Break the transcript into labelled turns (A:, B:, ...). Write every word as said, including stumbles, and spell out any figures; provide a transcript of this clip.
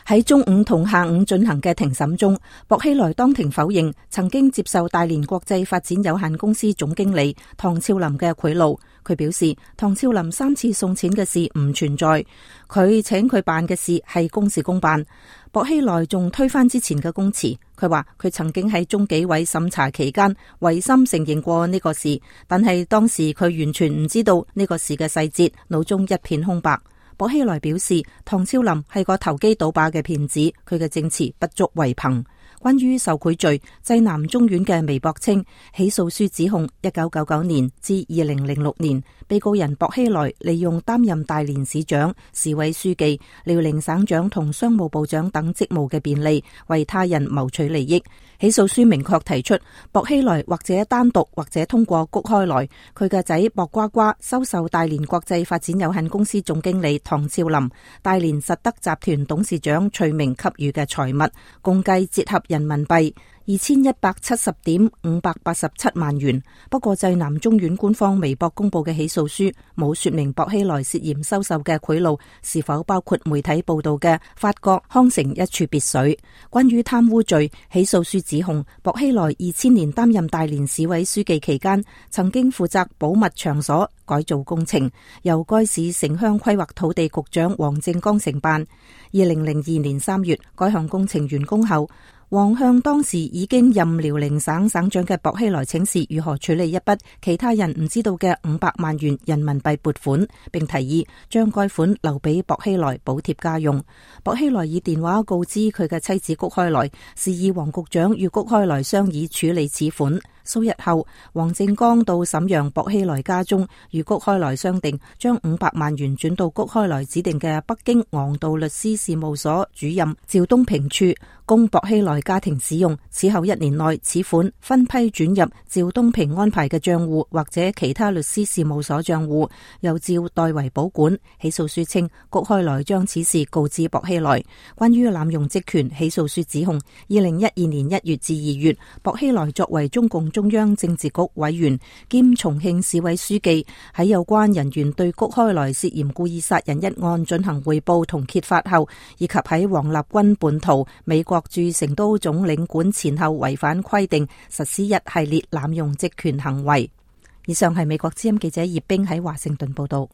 A: 喺中午同下午進行嘅庭審中，薄熙來當庭否認曾經接受大連國際發展有限公司總經理唐超林嘅賄賂。佢表示，唐超林三次送錢嘅事唔存在，佢請佢辦嘅事係公事公辦。薄熙來仲推翻之前嘅供詞，佢話佢曾經喺中紀委審查期間違心承認過呢個事，但係當時佢完全唔知道呢個事嘅細節，腦中一片空白。薄熙來表示，唐超林係個投機倒把嘅騙子，佢嘅證詞不足為憑。關於受賄罪，濟南中院嘅微博稱，起訴書指控一九九九年至二零零六年，被告人薄熙來利用擔任大連市長、市委書記、遼寧省長同商務部長等職務嘅便利，為他人謀取利益。起訴書明確提出，薄熙來或者單獨或者通過谷開來，佢嘅仔薄瓜瓜收受大連國際發展有限公司總經理唐超林、大連實德集團董事長徐明給予嘅財物，共計折合人民幣二千一百七十點五百八十七萬元。不過濟南中院官方微博公布嘅起訴書冇說明薄熙來涉嫌收受嘅賄賂是否包括媒體報道嘅法國康城一處別墅。關於貪污罪，起訴書指控薄熙來二千年擔任大連市委書記期間，曾經負責保密場所改造工程，由該市城鄉規劃土地局長黃正剛承辦。二零零二年三月，該項工程完工後，黃向當時已經任遼寧省省長嘅薄熙來請示如何處理一筆其他人唔知道嘅五百萬元人民幣撥款，並提議將該款留俾薄熙來補貼家用。薄熙來以電話告知佢嘅妻子谷開來，示意黃局長與谷開來商議處理此款。數日後，黃正剛到瀋陽薄熙來家中，與谷開來商定將五百萬元轉到谷開來指定嘅北京昂道律師事務所主任趙東平處，供薄熙來家庭使用。此後一年內，此款分批轉入趙東平安排嘅賬戶或者其他律師事務所賬戶，由趙代為保管。起訴書稱，谷開來將此事告知薄熙來。關於濫用職權，起訴書指控二零一二年一月至二月，薄熙來作為中共中央政治局委員兼重慶市委書記，喺有關人員對谷開來涉嫌故意殺人一案進行匯報同揭發後，以及喺王立軍叛逃美國駐成都總領館前後違反規定，實施一系列濫用職權行為。以上係美國之音記者葉冰喺華盛頓報道。